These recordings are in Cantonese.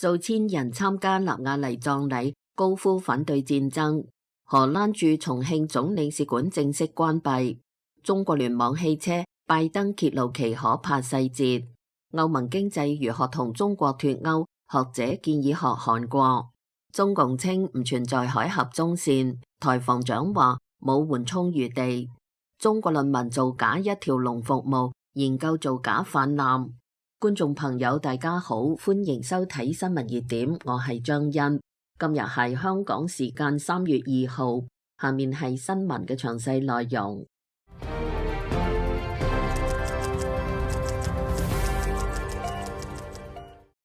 數千人參加納瓦尼葬禮，高呼反對戰爭。荷蘭駐重慶總領事館正式關閉。中國聯網汽車，拜登揭露其可怕細節。歐盟經濟如何同中國脫鈎？學者建議學韓國。中共稱唔存在海峽中線，台防長話冇緩衝餘地。中國論文造假一條龍服務，研究造假泛濫。觀眾朋友大家好，歡迎收睇新聞熱點，我係張欣。今日係香港時間3月2號，下面係新聞嘅詳細內容。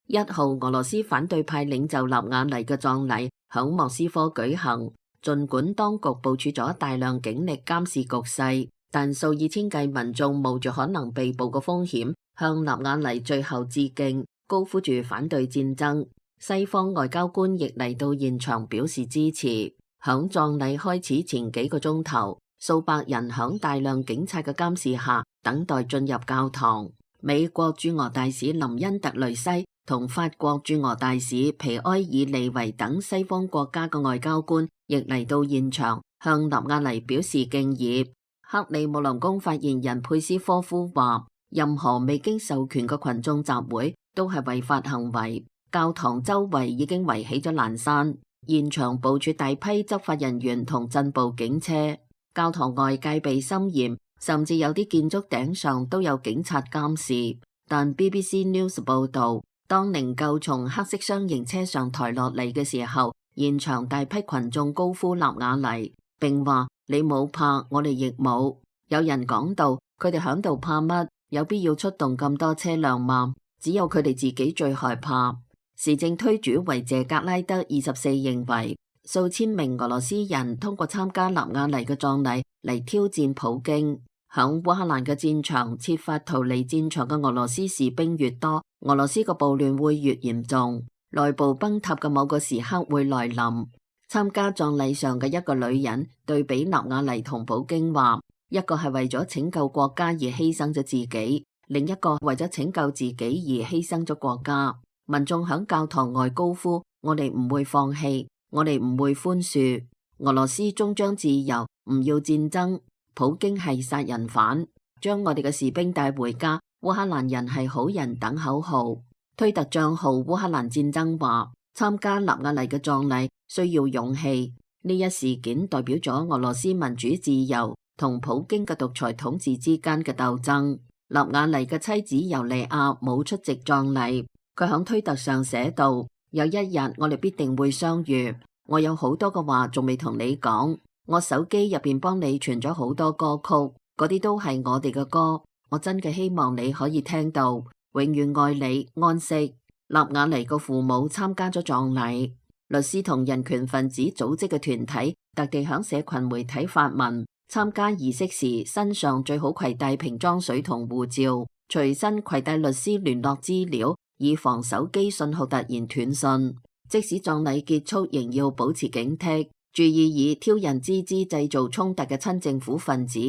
1號，俄羅斯反對派領袖納瓦尼嘅葬禮響莫斯科舉行。儘管當局部署咗大量警力監視局勢，但數以千計民眾冒住可能被捕嘅風險，向納瓦尼最後致敬，高呼住反對戰爭。西方外交官亦嚟到現場表示支持。響葬禮開始前幾個鐘頭，數百人響大量警察嘅監視下等待進入教堂。美國駐俄大使林恩特雷西同法國駐俄大使皮埃爾利維等西方國家嘅外交官亦嚟到現場，向納瓦尼表示敬意。克里姆林宮發言人佩斯科夫話，任何未經授權嘅群眾集會都係違法行為。教堂周圍已經圍起咗欄山，現場部署大批執法人員同鎮暴警車。教堂外戒備森嚴，甚至有啲建築頂上都有警察監視。但 BBC News 報道，當靈柩從黑色雙型車上抬落嚟嘅時候，現場大批群眾高呼納瓦尼，並話你冇怕，我哋亦冇。有人講到佢哋響度怕乜？有必要出動咁多車輛嗎？只有佢哋自己最害怕。時政推主維謝格拉德24認為，數千名俄羅斯人通過參加納瓦尼嘅葬禮嚟挑戰普京。響烏克蘭嘅戰場設法逃離戰場嘅俄羅斯士兵越多，俄羅斯嘅暴亂會越嚴重，內部崩塌嘅某個時刻會來臨。參加葬禮上嘅一個女人對比納瓦尼同普京話，一個係為咗拯救國家而犧牲咗自己，另一個為咗拯救自己而犧牲咗國家。民眾響教堂外高呼，我哋唔會放棄，我哋唔會寬恕。俄羅斯終將自由，唔要戰爭。普京係殺人犯，將我哋嘅士兵帶回家。烏克蘭人係好人等口號。推特賬號烏克蘭戰爭話，參加納瓦尼嘅葬禮需要勇氣。呢一事件代表咗俄羅斯民主自由同普京嘅獨裁統治之間嘅鬥爭。納瓦尼嘅妻子尤利亞冇出席葬禮。佢響推特上寫道，有一日我哋必定會相遇。我有好多嘅話仲未同你講，我手機入邊幫你傳咗好多歌曲，嗰啲都係我哋嘅歌。我真嘅希望你可以聽到。永遠愛你，安息。納瓦尼個父母參加咗葬禮。律師同人權分子組織嘅團體特地響社群媒體發文，參加儀式時身上最好攜帶瓶裝水同護照，隨身攜帶律師聯絡資料，以防手機信號突然斷訊。即使葬禮結束，仍要保持警惕，注意以挑釁之姿製造衝突嘅親政府分子。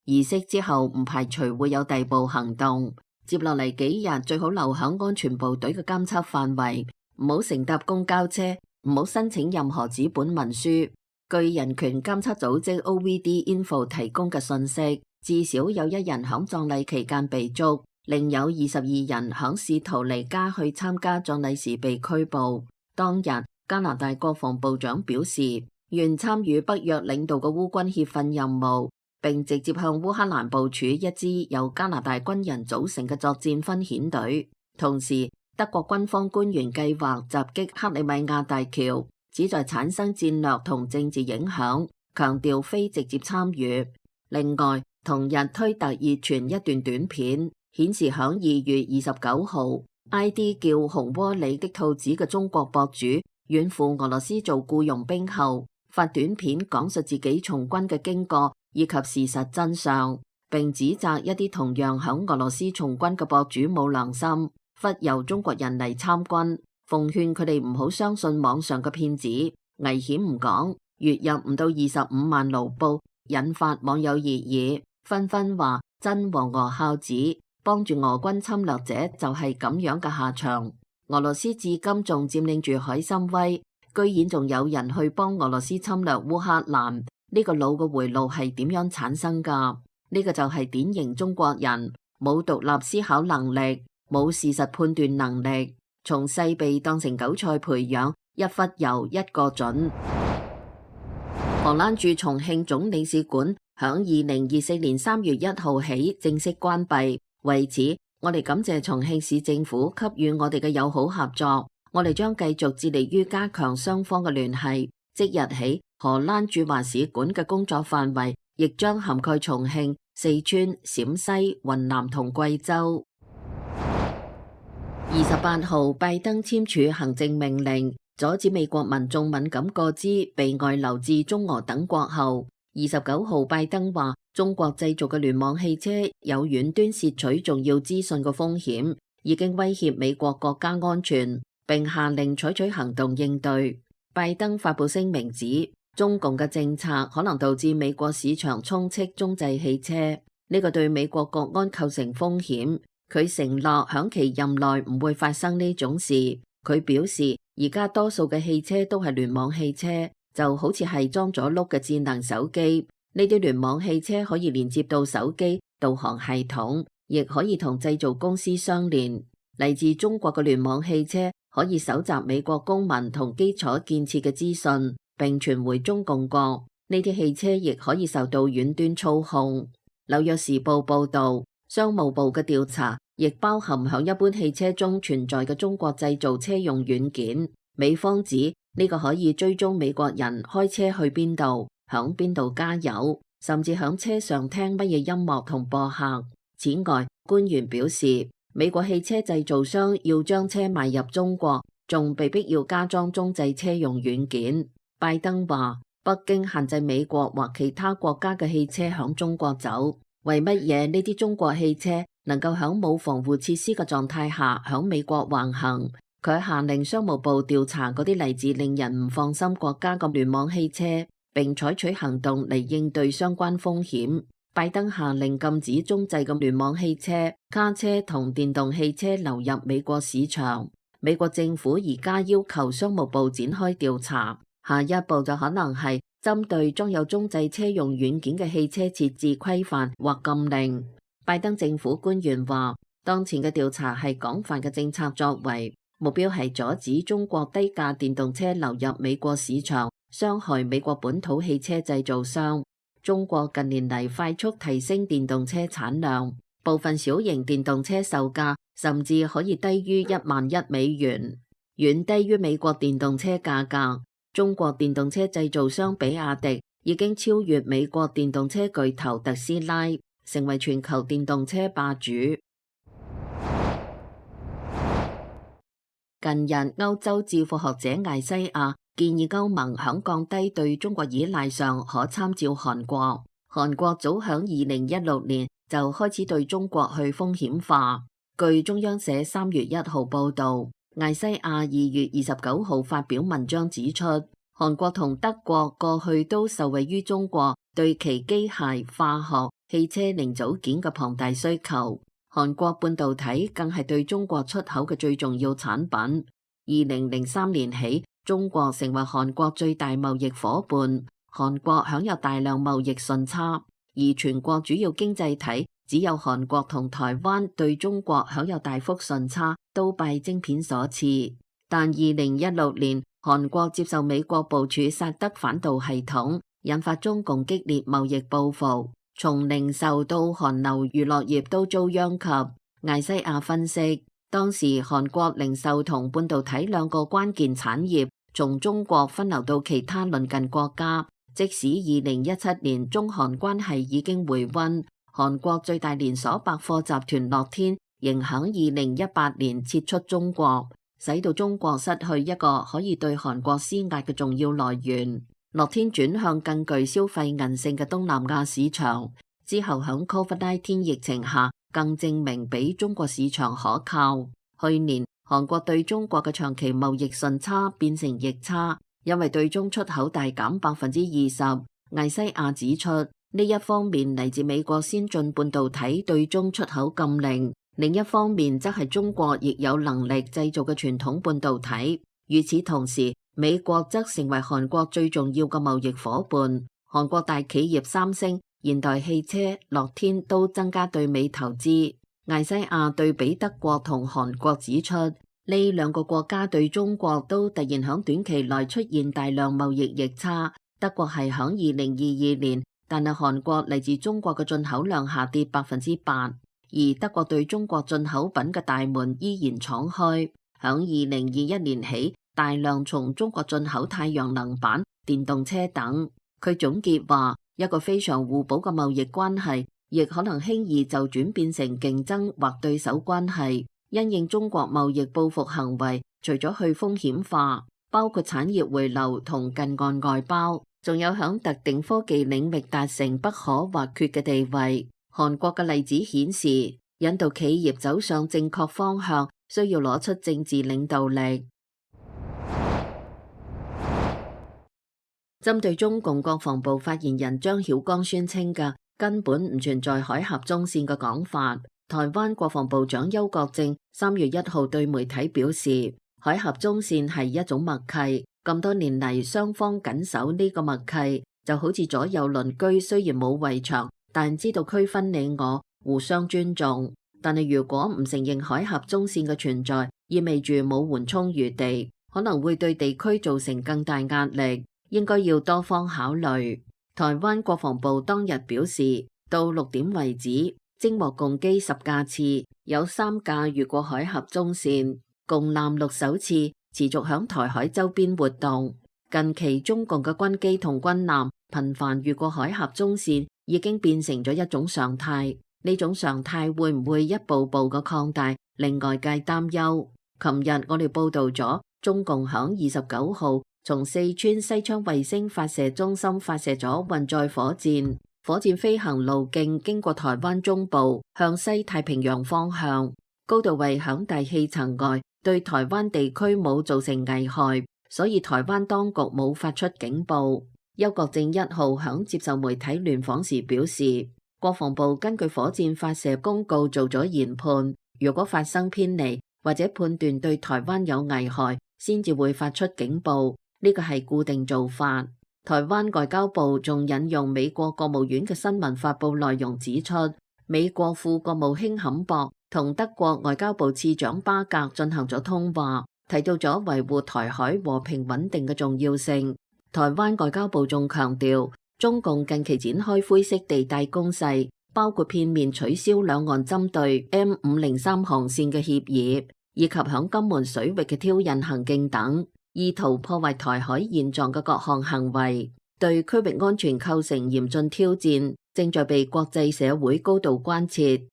儀式之後唔排除會有逮捕行動。接落嚟幾日最好留響安全部隊嘅監測範圍，唔好乘搭公交車，唔好申請任何紙本文書。據人權監測組織 OVD Info 提供嘅信息，至少有1人響葬禮期間被捉。另有22人響試圖離家去參加葬禮時被拘捕。當日，加拿大國防部長表示，願參與北約領導嘅烏軍協訓任務，並直接向烏克蘭部署一支由加拿大軍人組成嘅作戰分遣隊。同時，德國軍方官員計劃襲擊克里米亞大橋，旨在產生戰略同政治影響，強調非直接參與。另外，同日推特熱傳一段短片，顯示響2月29號 ，ID 叫紅窩里的兔子嘅中國博主遠赴俄羅斯做僱傭兵後，發短片講述自己從軍嘅經過以及事實真相，並指責一啲同樣響俄羅斯從軍嘅博主冇良心，忽悠中國人嚟參軍，奉勸佢哋唔好相信網上嘅騙子，危險唔講，月入唔到25萬盧布，引發網友熱議，紛紛話真和俄孝子。幫住俄軍侵略者就係咁樣嘅下場。俄羅斯至今仲佔領住海參崴，居然仲有人去幫俄羅斯侵略烏克蘭。呢個腦嘅回路係點樣產生㗎？呢個就係典型中國人，冇獨立思考能力，冇事實判斷能力，從細被當成韭菜培養，一忽悠一個準。荷蘭駐重慶總領事館響2024年3月1號起正式關閉，為此我哋感謝重慶市政府給予我哋嘅友好合作，我哋將繼續致力於加強雙方嘅聯繫。即日起，荷蘭駐華使館嘅工作範圍亦將涵蓋重慶、四川、陝西、雲南同貴州。28號，拜登簽署行政命令，阻止美國民眾敏感個資被外流至中俄等國後。29號，拜登話中國製造嘅聯網汽車有遠端竊取重要資訊嘅風險，已經威脅美國國家安全，並下令採取行動應對。拜登發布聲明指，中共嘅政策可能導致美國市場充斥中製汽車，呢個對美國國安構成風險。佢承諾響其任內唔會發生呢種事。佢表示，而家多數嘅汽車都係聯網汽車，就好似係裝咗碌嘅智能手機。呢啲聯網汽車可以連接到手機、導航系統，亦可以同製造公司相連。嚟自中國嘅聯網汽車可以搜集美國公民同基礎建設嘅資訊，並傳回中共國。呢啲汽車亦可以受到遠端操控。紐約時報報導，商務部嘅調查亦包含響一般汽車中存在嘅中國製造車用軟件。美方指呢個可以追蹤美國人開車去邊度，響邊度加油，甚至響車上聽乜嘢音樂同播客。此外，官員表示，美國汽車製造商要將車賣入中國，仲被逼要加裝中製車用軟件。拜登話，北京限制美國或其他國家嘅汽車響中國走，為乜嘢呢啲中國汽車能夠響冇防護設施嘅狀態下響美國橫行？佢下令商務部調查嗰啲嚟自令人唔放心國家嘅聯網汽車，並採取行動嚟應對相關風險。拜登下令禁止中製嘅聯網汽車、卡車同電動汽車流入美國市場。美國政府而家要求商務部展開調查，下一步就可能係針對裝有中製車用軟件嘅汽車設置規範或禁令。拜登政府官員話，當前嘅調查係廣泛嘅政策作為，目標係阻止中國低價電動車流入美國市場，傷害美國本土汽車製造商。中國近年嚟快速提升電動車產量，部分小型電動車售價甚至可以低於$11,000，遠低於美國電動車價格。中國電動車製造商比亞迪已經超越美國電動車巨頭特斯拉，成為全球電動車霸主。近日，歐洲智庫學者艾西亞建議歐盟響降低對中國依賴上可參照韓國。韓國早響2016年就開始對中國去風險化。據中央社3月1號報導，艾西亞2月29號發表文章指出，韓國同德國過去都受惠於中國對其機械、化學、汽車零組件嘅龐大需求。韓國半導體更係對中國出口嘅最重要產品。2003年起，中國成為韓國最大貿易夥伴，韓國享有大量貿易順差，而全國主要經濟體只有韓國同台灣對中國享有大幅順差，都拜晶片所賜。但2016年，韓國接受美國部署薩德反導系統，引發中共激烈貿易報復。從零售到韓流娛樂業都遭殃及。艾西亞分析，當時韓國零售同半導體兩個關鍵產業從中國分流到其他鄰近國家，即使2017年中韓關係已經回溫，韓國最大連鎖百貨集團樂天仍響2018年撤出中國，使到中國失去一個可以對韓國施壓嘅重要來源。樂天轉向更具消費韌性嘅東南亞市場，之後響 COVID-19 疫情下更證明比中國市場可靠。去年韓國對中國嘅長期貿易順差變成逆差，因為對中出口大減20%。艾西亞指出，呢一方面嚟自美國先進半導體對中出口禁令，另一方面則係中國亦有能力製造嘅傳統半導體。與此同時，美國則成為韓國最重要嘅貿易夥伴。韓國大企業三星、現代汽車、樂天都增加對美投資。艾西亞對比德國同韓國指出，呢兩個國家對中國都突然響短期內出現大量貿易逆差。德國係響2022年，但係韓國嚟自中國嘅進口量下跌8%，而德國對中國進口品嘅大門依然敞開。響2021年起，大量從中國進口太陽能板、電動車等。佢總結話，一個非常互補嘅貿易關係，亦可能輕易就轉變成競爭或對手關係。因應中國貿易報復行為，除咗去風險化，包括產業回流同近岸外包，仲有響特定科技領域達成不可或缺嘅地位。韓國嘅例子顯示，引導企業走上正確方向，需要攞出政治領導力。針對中共國防部發言人張曉光宣稱嘅根本唔存在海峽中線嘅講法，台灣國防部長邱國正3月1號對媒體表示，海峽中線係一種默契，咁多年嚟雙方緊守呢個默契，就好似左右鄰居雖然冇圍牆，但知道區分你我，互相尊重。但係如果唔承認海峽中線嘅存在，意味住冇緩衝餘地，可能會對地區造成更大壓力。應該要多方考慮。台灣國防部當日表示，到6點為止，偵獲共機10架次，有3架越過海峽中線，共艦6艘次持續響台海周邊活動。近期中共嘅軍機同軍艦頻繁越過海峽中線，已經變成咗一種常態。呢種常態會唔會一步步嘅擴大，令外界擔憂。琴日我哋報道咗，中共響29號從四川西昌衛星發射中心發射咗運載火箭，火箭飛行路徑經過台灣中部，向西太平洋方向，高度為響大氣層外，對台灣地區冇造成危害，所以台灣當局冇發出警報。邱國正1號響接受媒體聯訪時表示，國防部根據火箭發射公告做咗研判，如果發生偏離或者判斷對台灣有危害，先至會發出警報。呢個係固定做法。台灣外交部仲引用美國國務院嘅新聞發佈內容指出，美國副國務卿坎博同德國外交部次長巴格進行咗通話，提到咗維護台海和平穩定嘅重要性。台灣外交部仲強調，中共近期展開灰色地帶攻勢，包括片面取消兩岸針對 M503 航線嘅協議，以及響金門水域嘅挑釁行徑等。意圖破壞台海現狀嘅各項行為，對區域安全構成嚴峻挑戰，正在被國際社會高度關切。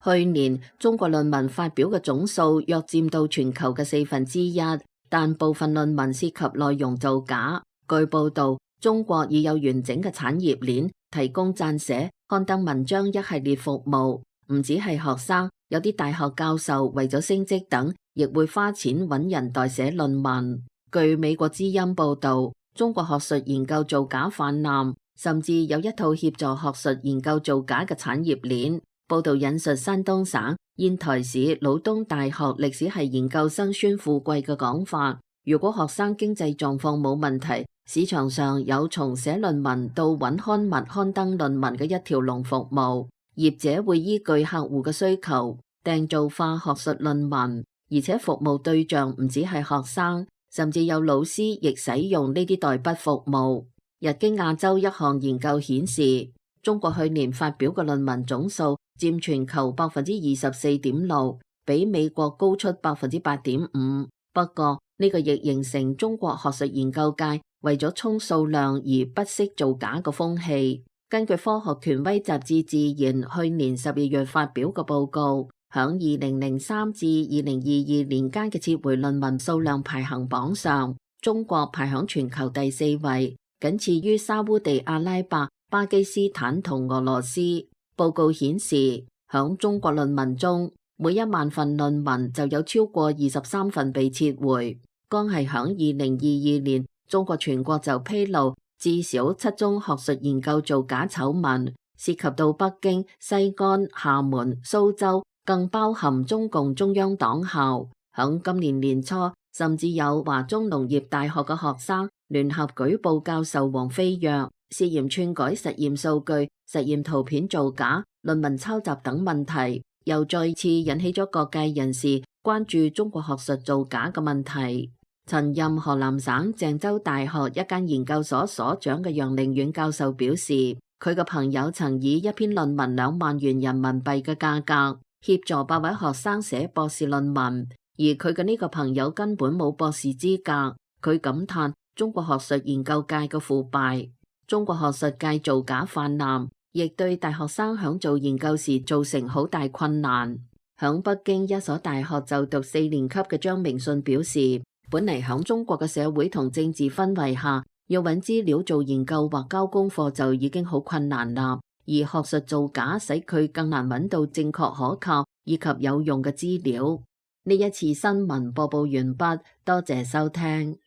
去年中國論文發表嘅總數約佔到全球嘅1/4，但部分論文涉及內容造假。據報道，中國已有完整嘅產業鏈，提供撰寫、刊登文章一系列服務，唔止係學生。有啲大學教授為咗升職等，亦會花錢揾人代寫論文。據美國之音報道，中國學術研究造假泛濫，甚至有一套協助學術研究造假嘅產業鏈。報道引述山東省煙台市魯東大學歷史系研究生孫富貴嘅講法：如果學生經濟狀況冇問題，市場上有從寫論文到揾刊物刊登論文嘅一條龍服務。業者會依據客戶嘅需求訂造化學術論文，而且服務對象唔止係學生，甚至有老師亦使用呢啲代筆服務。日經亞洲一項研究顯示，中國去年發表嘅論文總數佔全球24.6%，比美國高出8.5%。不過呢個亦形成中國學術研究界為咗衝數量而不惜造假嘅風氣。根據科學權威雜誌《自然》去年12月發表嘅報告，響2003至2022年間嘅撤回論文數量排行榜上，中國排響全球第4位，僅次於沙烏地阿拉伯、巴基斯坦同俄羅斯。報告顯示，響中國論文中，每1萬份論文就有超過23份被撤回。剛係響2022年，中國全國就披露至少7宗學術研究造假醜聞，涉及到北京、西安、廈門、蘇州，更包含中共中央黨校。響今年年初，甚至有華中農業大學嘅學生聯合舉報教授王飛躍，涉嫌篡改實驗數據、實驗圖片造假、論文抄襲等問題，又再次引起咗各界人士關注中國學術造假嘅問題。曾任河南省鄭州大學一間研究所所長嘅楊凌遠教授表示，佢嘅朋友曾以一篇論文2萬元人民幣嘅價格協助8位學生寫博士論文，而佢嘅呢個朋友根本冇博士資格。佢感嘆中國學術研究界嘅腐敗，中國學術界造假泛濫，亦對大學生響做研究時造成好大困難。響北京一所大學就讀4年級嘅張明信表示，本嚟響中國嘅社會同政治氛圍下，要揾資料做研究或交功課就已經好困難啦，而學術造假使佢更難揾到正確可靠以及有用嘅資料。呢一次新聞播報完畢，多謝收聽。